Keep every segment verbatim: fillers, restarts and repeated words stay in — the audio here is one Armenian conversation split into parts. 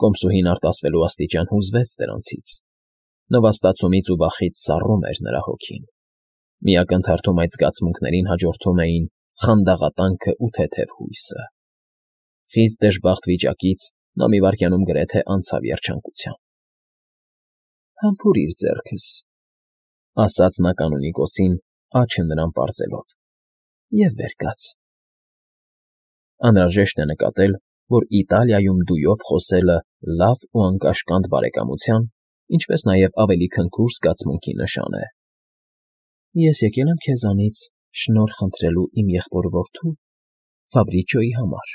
Կոմսուհին արտասվելու աստիճան հուզվեց դրանցից, նվաստացումից ու վախից սառում էր նրա հոգին, մի ակնթարթում այդ զգացմունքներին հաջորդում էին խանդաղատանքն ու թեթև հույսը։ Խիստ դժբախտ վիճակից նա մի վայրկյանում գրեթե անցավ երջանկության։ ֊ Համբուրի՛ր ձեռքս,֊ ասաց նա կանոնիկոսին, աջը նրան պարզելով,֊ և վեր կաց… Անհրաժեշտ է նկատել, որ Իտալիայում դույով խոսելը լավ ու անկաշկանդ բարեկամության, ինչպես նաև ավելի քնքուշ զգացմունքի նշան է։ ֊ Ես եկել եմ քեզանից շնորհ խնդրելու իմ եղբոր որդու՝ Ֆաբրիչոյի համար…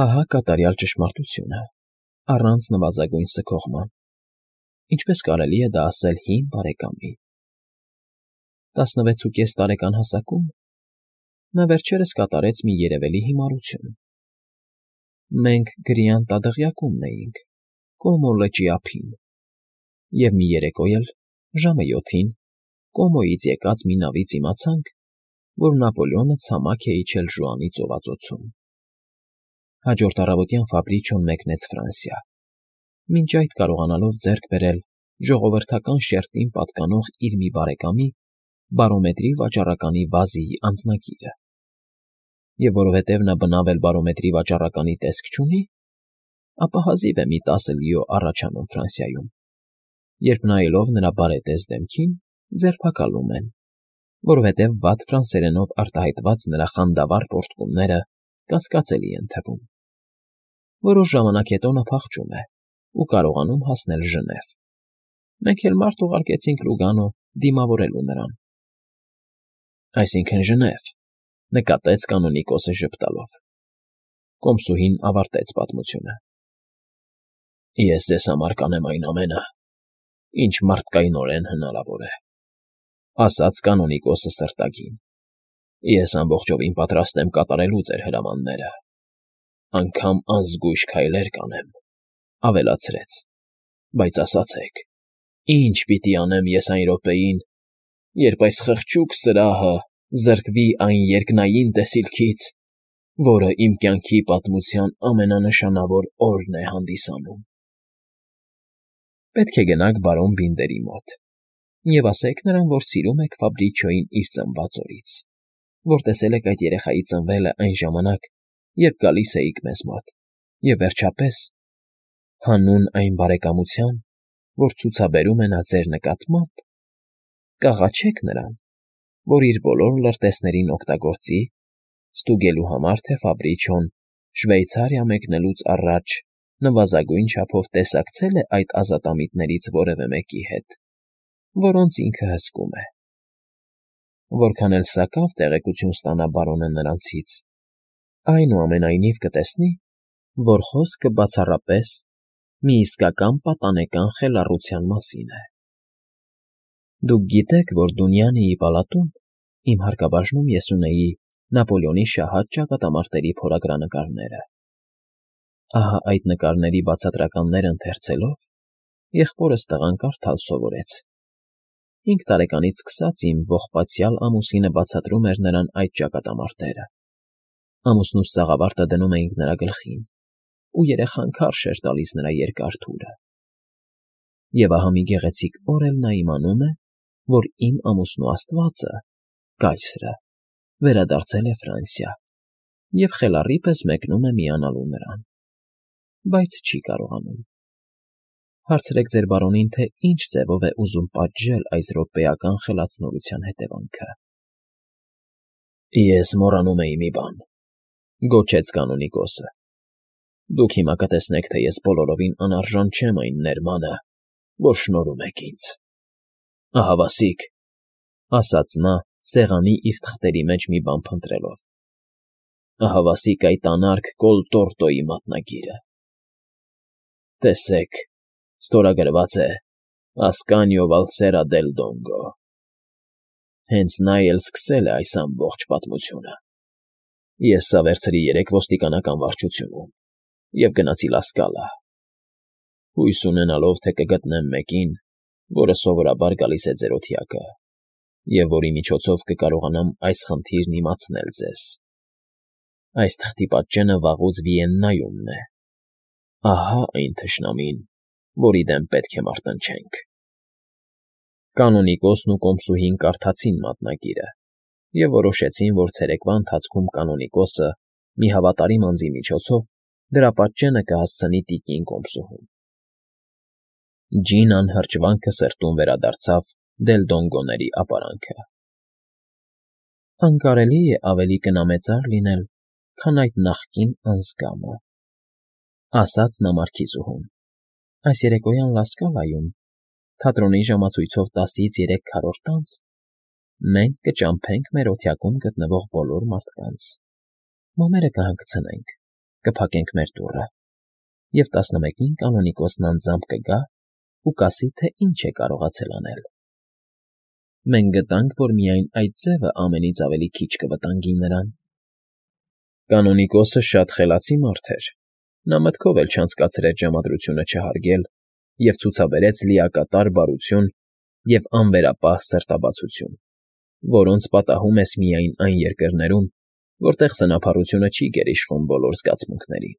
Ահա կատարյալ ճշմարտությունը, առանց նվազագույն սգողման, ինչպես կարելի է դա ասել հին բարեկամի… Տասնվեցուկես տարեկան հասակում նա վերջերս կատարեց մի երևելի հիմարություն… Մենք Գրիան տադղյակումն էինք, Կոմո լճի ափին, և մի երեկո էլ, ժամը յոթին, Կոմոյից եկած մի նավից իմացանք, որ Նապոլեոնը ցամաք է իջել Ժուանի ծովածոցում… Հաջորդ առավոտյան Ֆաբրիչոն մեկնեց Ֆրանսիա, մինչ այդ կարողանալով ձեռք բերել ժողովրդական շերտին պատկանող իր մի բարեկամի՝ բարոմետրի վաճառականի Վազիի անձնագիրը… Եվ որովհետև նա բնավ էլ բարոմետրի վաճառականի տեսք չունի, ապա հազիվ է մի տասը լիո առաջ անում Ֆրանսիայում, երբ նայելով նրա բարետես դեմքին, ձերբակալում են, որովհետև վատ ֆրանսերենով արտահայտված նրա խանդավառ պոռթկումները կասկածելի են թվում… Որոշ ժամանակ հետո նա փախչում է ու կարողանում հասնել Ժնև… Մենք էլ մարդ ուղարկեցինք Լուգանո դիմավորելու նրան… ֊ Այսինքն՝ Ժնև,֊ նկատեց կանոնիկոսը ժպտալով։ Կոմսուհին ավարտեց պատմությունը։ ֊ Ես ձեզ համար կանեմ այն ամենը, ինչ մարդկայնորեն հնարավոր է,֊ ասաց կանոնիկոսը սրտագին։ Ես ամբողջովին պատրաստ եմ կատարելու ձեր հրամանները, անգամ անզգույշ քայլեր կանեմ,֊ ավելացրեց,֊ բայց ասացեք, ի՞նչ պիտի անեմ ես այն րոպեին, երբ այս խղճուկ սրահը զրկվի այն երկնային տեսիլքից, որը իմ կյանքի պատմության ամենանշանավոր օրն է հանդիսանում։ ֊ Պետք է գնաք բարոն Բինդերի մոտ և ասեք նրան, որ սիրում եք Ֆաբրիչոյին իր ծնված օրից, որ տեսել եք այդ երեխայի ծնվելը այն ժամանակ, երբ գալիս էիք մեզ մոտ, և, վերջապես, հանուն այն բարեկամության, որ ցուցաբերում է նա ձեր նկատմամբ, կաղաչեք նրան, որ իր բոլոր լրտեսներին օգտագործի, ստուգելու համար, թե Ֆաբրիչոն Շվեյցարիա մեկնելուց առաջ նվազագույն չափով տեսակցել է այդ ազատամիտներից որևէ մեկի հետ, որոնց ինքը հսկում է… Որքան էլ սակավ տեղեկություն ստանա բարոնը նրանցից, այնուամենայնիվ կտեսնի, որ խոսքը բացառապես մի իսկական պատանեկան խելառության մասին է… Դուք գիտեք, որ Դունյանիի պալատում, իմ հարկաբաժնում, ես ունեի Նապոլեոնի շահած ճակատամարտերի փորագրանկարները… Ահա այդ նկարների բացատրականներն ընթերցելով, եղբորս տղան կարդալ սովորեց… Հինգ տարեկանից սկսած իմ ողբացյալ ամուսինը բացատրում էր նրան այդ ճակատամարտերը, ամուսնուս սաղավարտը դնում էինք նրա գլխին, ու երեխան քարշ էր տալիս նրա երկար թուրը… Եվ ահա մի գեղեցիկ օր էլ նա իմանում է, որ իմ ամուսնու աստվածը՝ կայսրը, վերադարձել է Ֆրանսիա և խելառի պես մեկնում է միանալու նրան… Բայց չի կարողանում… Հարցրեք ձեր բարոնին, թե ինչ ձևով է ուզում պատժել այս րոպեական խելացնորության հետևանքը… ֊ Ես մոռանում էի մի բան,֊ գոչեց կանոնիկոսը,֊ դուք հիմա կտեսնեք, թե ես բոլորովին անարժան չեմ այն ներմանը, որ շնորհում եք ինձ… Ահավասիկ,֊ ասաց նա, սեղանի իր թղթերի մեջ մի բան փնտրելով,֊ ահավասիկ այդ անարգ կոլտորտոյի մատնագիրը… Տեսեք, ստորագրված է Ասկանիո Վալսերա դել Դոնգո… Հենց նա էլ սկսել է այս ամբողջ պատմությունը… Ես սա վերցրի երեկ ոստիկանական վարչությունում և գնացի Լա Սկալա, հույս ունենալով, թե կգտնեմ մեկին, որը սովորաբար գալիս է ձեր օթյակը և որի միջոցով կկարողանամ այս խնդիրն իմացնել ձեզ… Այս թղթի պատճենը վաղուց Վիեննայումն է, Ահա այն թշնամին, որի դեմ պետք է մարտնչենք։ Կանոնիկոսն ու կոմսուհին կարդացին մատնագիրը և որոշեցին, որ ցերեկվա ընթացքում կանոնիկոսը մի հավատարիմ անձի միջոցով դրա պատճենը կհասցնի տիկին կոմսուհուն։ Ջինան հրճվանքը սրտում վերադարձավ Դելդոնգոների ապարանքը։ Անկարելի է ավելի կնամեծար լինել, քան այդ նախկին անձգամը, ասաց նա մարքիզուհուն։ Այս երեկոյան Լասկալայում, թատրոնի ժամացույցով տասից երեք քառորդ անց, մենք կճամփենք մեր օթյակում գտնվող բոլոր մարդկանց, մոմերը կհանգցնենք, կփակենք մեր դուռը, և տասնմեկին կանոնիկոսն անձամբ կգա ու կասի, թե ինչ է կարողացել անել։ Մենք գտանք, որ միայն այդ ձևը ամենից ավելի քիչ կվտանգի նրան։ Կանոնիկոսը շատ խելացի մարդ էր, նա մտքով էլ չանցկացրեց ժամադրությունը չհարգել և ցուցաբերեց լիակատար բարություն և անվերապահ սրտաբացություն, որոնց պատահում ես միայն այն երկրներում, որտեղ սնափառությունը չի գերիշխում բոլոր զգացմունքներին։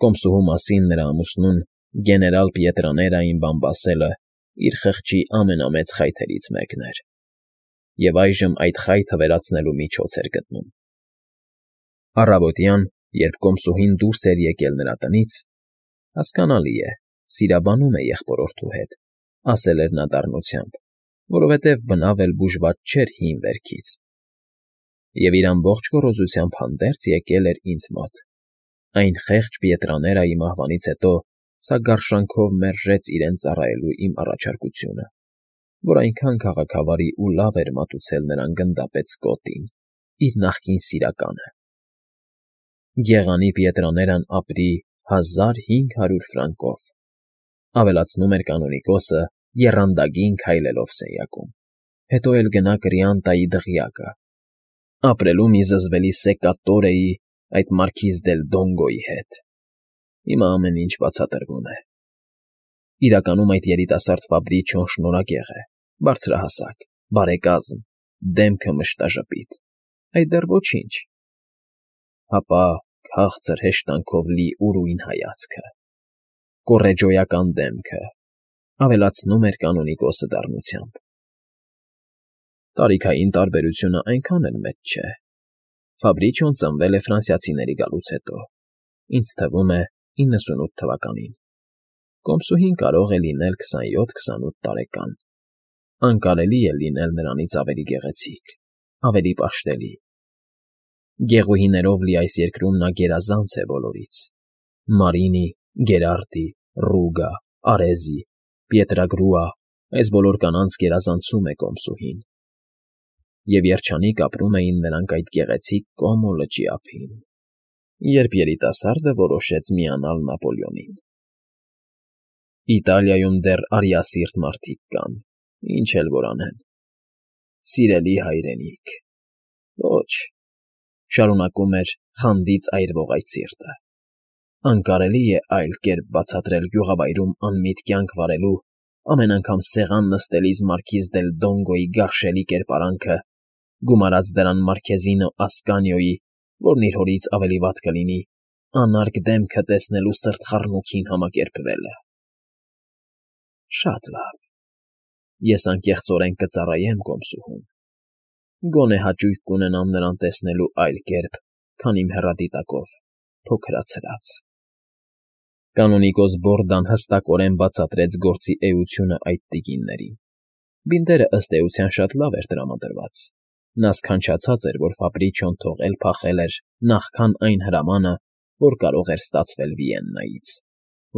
Կոմսուհու մասին նրա ամուսնուն գեներալ Պիետրաներային բամբասելը իր խղճի ամենամեծ խայթերից մեկն էր, և այժմ այդ խայթը վերացնելու միջոց էր գտնում։ Առավոտյան, երբ կոմսուհին դուրս էր եկել նրա տնից, հասկանալի է, սիրաբանում է եղբորորդու հետ, ասել էր նա դառնությամբ, որովհետև բնավ էլ բուժված չէր հին վերքից, և իր ամբողջ գոռոզությամբ հանդերձ եկել էր ինձ մոտ։ Այն խեղճ Պիետրաներայի մահվանից հետո սա գարշանքով մերժեց իրեն ծառայելու իմ առաջարկությունը, որ այնքան քաղաքավարի ու լավ էր մատուցել նրան գնդապետ Սկոттին, իր նախկին սիրականը։ Գեղանի Պիետրաներան ապրի հազար հինգ հարյուր ֆրանկով, ավելացնում էր կանոնիկոսը եռանդագին քայլելով սենյակում, հետո էլ գնա Կրիանտայի դղյակը, ապրելու մի զզվելի Սեկատորեի, այդ մարքիզ Դելդոնգոյի հետ։ Հիմա ամեն ինչ բացատրվում է։ Իրականում այդ երիտասարդ Ֆաբրիչոն շնորհակեղ է, բարձրահասակ, բարեկազմ, դեմքը մշտաժպիտ, այդ դեռ ոչինչ, հապա քաղցր հեշտանքով լի ուրույն հայացքը, կոռեջոյական դեմքը, ավելացնում էր կանոնիկոսը դառնությամբ։ Տարիքային տարբերությունը այնքան էլ մեծ չէ։ Ֆաբրիչոն ծնվել է ֆրանսիացիների գալուց հետո, ինձ թվում է իննսունութ թվականին, կոմսուհին կարող է լինել քսանյոթ քսանութ տարեկան, անկարելի է լինել նրանից ավելի գեղեցիկ, ավելի պաշտելի։ Գեղուհիներով լի այս երկրում նա գերազանց է բոլորից. Մարինի, Գերարդի, Ռուգա, Արեզի, Պիետրագրուա, այս բոլոր կանանց գերազանցում է կոմսուհին։ Եվ երջանիկ ապրում էին նրանք այդ գեղեցիկ Կոմո լճի ափին, երբ երիտասարդը որոշեց միանալ Նապոլեոնին։ Իտալիայում դեռ արիասիրտ մարդիկ կան, ինչ էլ որ անեն։ Սիրելի հայրենիք, ոչ, շարունակում էր խանդից այրվող այդ սիրտը, անկարելի է այլ կերպ բացատրել գյուղավայրում անմիտ կյանք վարելու, ամեն անգամ սեղան նստելիս մարքիզ Դելդոնգոյի գարշելի կերպարանքը, գումարած դրան Մարքեզինո Ասկանիոյի, որն իր հորից ավելի վատ կլինի, անարգ դեմքը տեսնելու սրտխառնոքին համակերպվելը։ Շատ լավ, ես անկեղծորեն կծառայեմ կոմսուհուն, գոնե հաճույք կունենամ նրան տեսնելու այլ կերպ, քան իմ հեռադիտակով, փոքրացրած։ Կանոնիկոս Բորդան հստակորեն բացատրեց գործի էությունը այդ տիկիններին։ Բինտերը ըստ էության շատ լավ էր տրամադրված։ Նա սքանչացած էր, որ Ֆաբրիչոն թողել փախել էր նախքան այն հրամանը, որ կարող էր ստացվել Վիեննայից,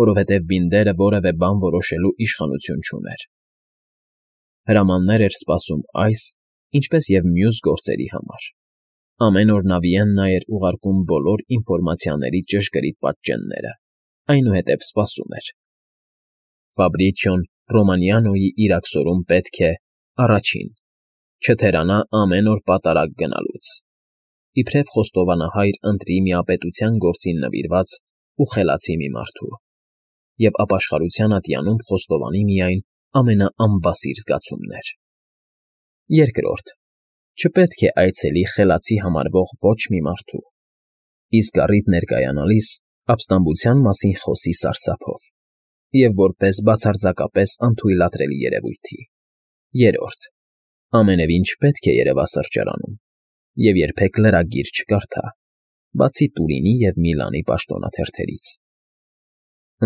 որովհետև Բինդերը որևէ բան որոշելու իշխանություն չուներ։ Հրամաններ էր սպասում այս, ինչպես և մյուս գործերի համար։ Ամեն օր նա Վիեննա էր ուղարկում բոլոր ինֆորմացիաների ճշգրիտ պատճենները, այնուհետև սպասում էր։ Ֆաբրիչոն Ռոմանիանոյի իրաքսորում պետք է, առաջին, չթերանա ամեն օր պատարագ գնալուց, իբրև խոստովանահայր ընտրի միապետության գործին նվիրված ու խելացի մի մարդու, և ապաշխարության ատյանում խոստովանի միայն ամենաանբասիր զգացումներ։ Երկրորդ, չպետք է այցելի խելացի համարվող ոչ մի մարդու, իսկ առիթ ներկայանալիս Ապստամբության մասին խոսի սարսափով և որպես բացարձակապես անթույլատրելի երևույթի։ Երրորդ. ամենևին չպետք է երևա սրճարանում և երբեք լրագիր չկարդա, բացի Տուրինի և Միլանի պաշտոնաթերթերից։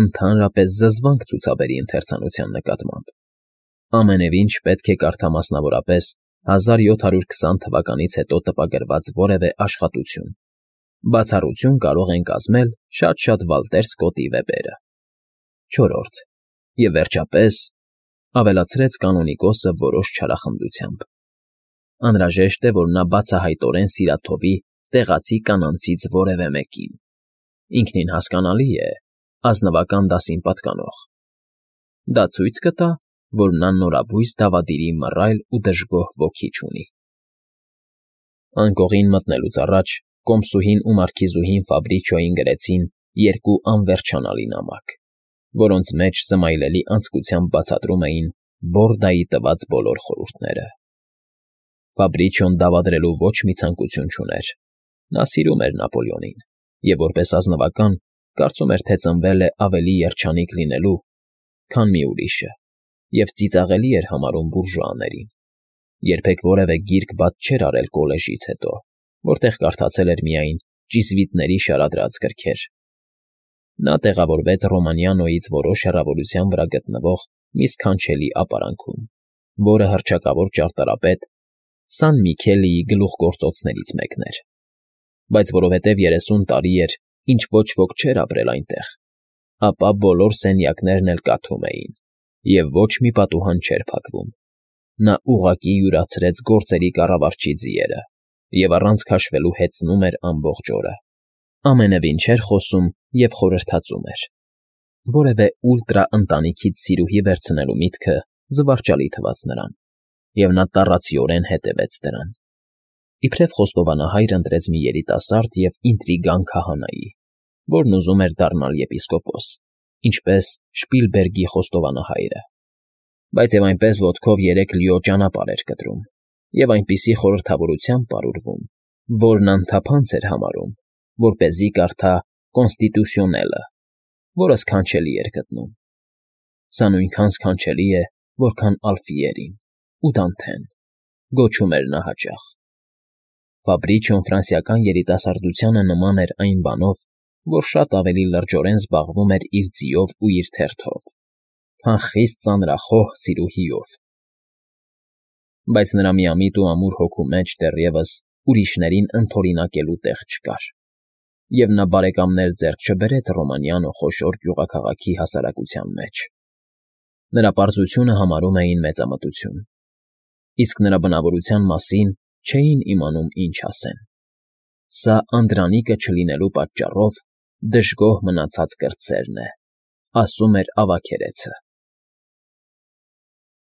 Ընդհանրապես զզվանք ցուցաբերի ընթերցանության նկատմամբ։ Ամենևին չպետք է կարդա մասնավորապես հազար յոթ հարյուր քսան թվականից հետո տպագրված որևէ աշխատություն, բացառություն կարող են կազմել շատ֊շատ Վալտեր Սկոտի վեպերը։ Չորրորդ. և վերջապես, ավելացրեց կանոնիկոսը որոշ չարախնդությամբ. անհրաժեշտ է, որ նա բացահայտորեն սիրաթովի տեղացի կանանցից որևէ մեկին, ինքնին հասկանալի է, ազնվական դասին պատկանող։ Դա ցույց կտա, որ նա նորաբույս դավադիրի մռայլ ու դժգոհ ոգի չունի։ Անկողին մտնելուց առաջ կոմսուհին ու մարքիզուհին Ֆաբրիչոյին գրեցին երկու անվերջանալի նամակ, որոնց մեջ զմայլելի անձկությամբ բացատրում էին Բորդայի տված բոլոր խորհուրդները։ Ֆաբրիչոն դավադրելու ոչ մի ցանկություն չուներ. նա սիրում էր Նապոլեոնին և որպես ազնվական կարծում էր, թե ծնվել է ավելի երջանիկ լինելու, քան մի ուրիշը, և ծիծաղելի էր համարում բուրժուաներին։ Երբեք որևէ գիրք բաց չէր արել կոլեժից հետո, որտեղ կարդացել էր միայն ճիզվիտների շարադրած գրքեր։ Նա տեղավորվեց Ռոմանիանոյից որոշ հեռավորության վրա գտնվող մի սքանչելի ապարանքում, որը հռչակավոր ճարտարապետ Սան Միքելիի գլուխգործոցներից մեկն էր, բայց որովհետև երեսուն տարի էր, ինչ ոչ ոք չէր ապրել այնտեղ, ապա բոլոր սենյակներն էլ կաթում էին, և ոչ մի պատուհան չէր փակվում։ Նա ուղղակի յուրացրեց գործերի կառավարչի ձիերը և առանց քաշվելու հեծնում էր ամբողջ օրը, ամենևին չէր խոսում և խորհրդածում էր։ Որևէ ուլտրա ընտանիքից սիրուհի վերցնելու միտքը զվարճալի թվաց նրան, և նա տառացիորեն հետևեց դրան։ Իբրև խոստովանահայր ընտրեց մի երիտասարդ և ինտրիգան քահանայի, որն ուզում էր դառնալ եպիսկոպոս, ինչպես Շպիլբերգի խոստովանահայրը, բայց և այնպես ոտքով երեք լիո ճանապարհ էր կտրում և այնպիսի խորհրդավորությամբ պարուրվում, որն անթափանց էր համարում, որպեսզի կարդա Կոնստիտուսիոնելը, որը սքանչելի էր գտնում։ Սա նույնքան սքանչելի է, որքան Ալֆիերին ու Դանթեն, գոչում էր նա հաճախ։ Ֆաբրիչոն ֆրանսիական երիտասարդությանը նման էր այն բանով, որ շատ ավելի լրջորեն զբաղվում էր իր ձիով ու իր թերթով, քան խիստ ծանրախոհ սիրուհիով։ Բայց նրա միամիտ ու ամուր հոգու մեջ դեռևս ուրիշներին ընդօրինակելու տեղ չկար, և նա բարեկամներ ձեռք չբերեց Ռոմանիանո խոշոր գյուղաքաղաքի հասարակության մեջ։ Նրա պարզությունը համարում էին մեծամտություն, իսկ նրա բնավորության մասին չէին իմանում ինչ ասեն։ Սա Անդրանիկը չլինելու պատճառով դժգոհ մնացած կրտսերն է, ասում էր ավագերեցը։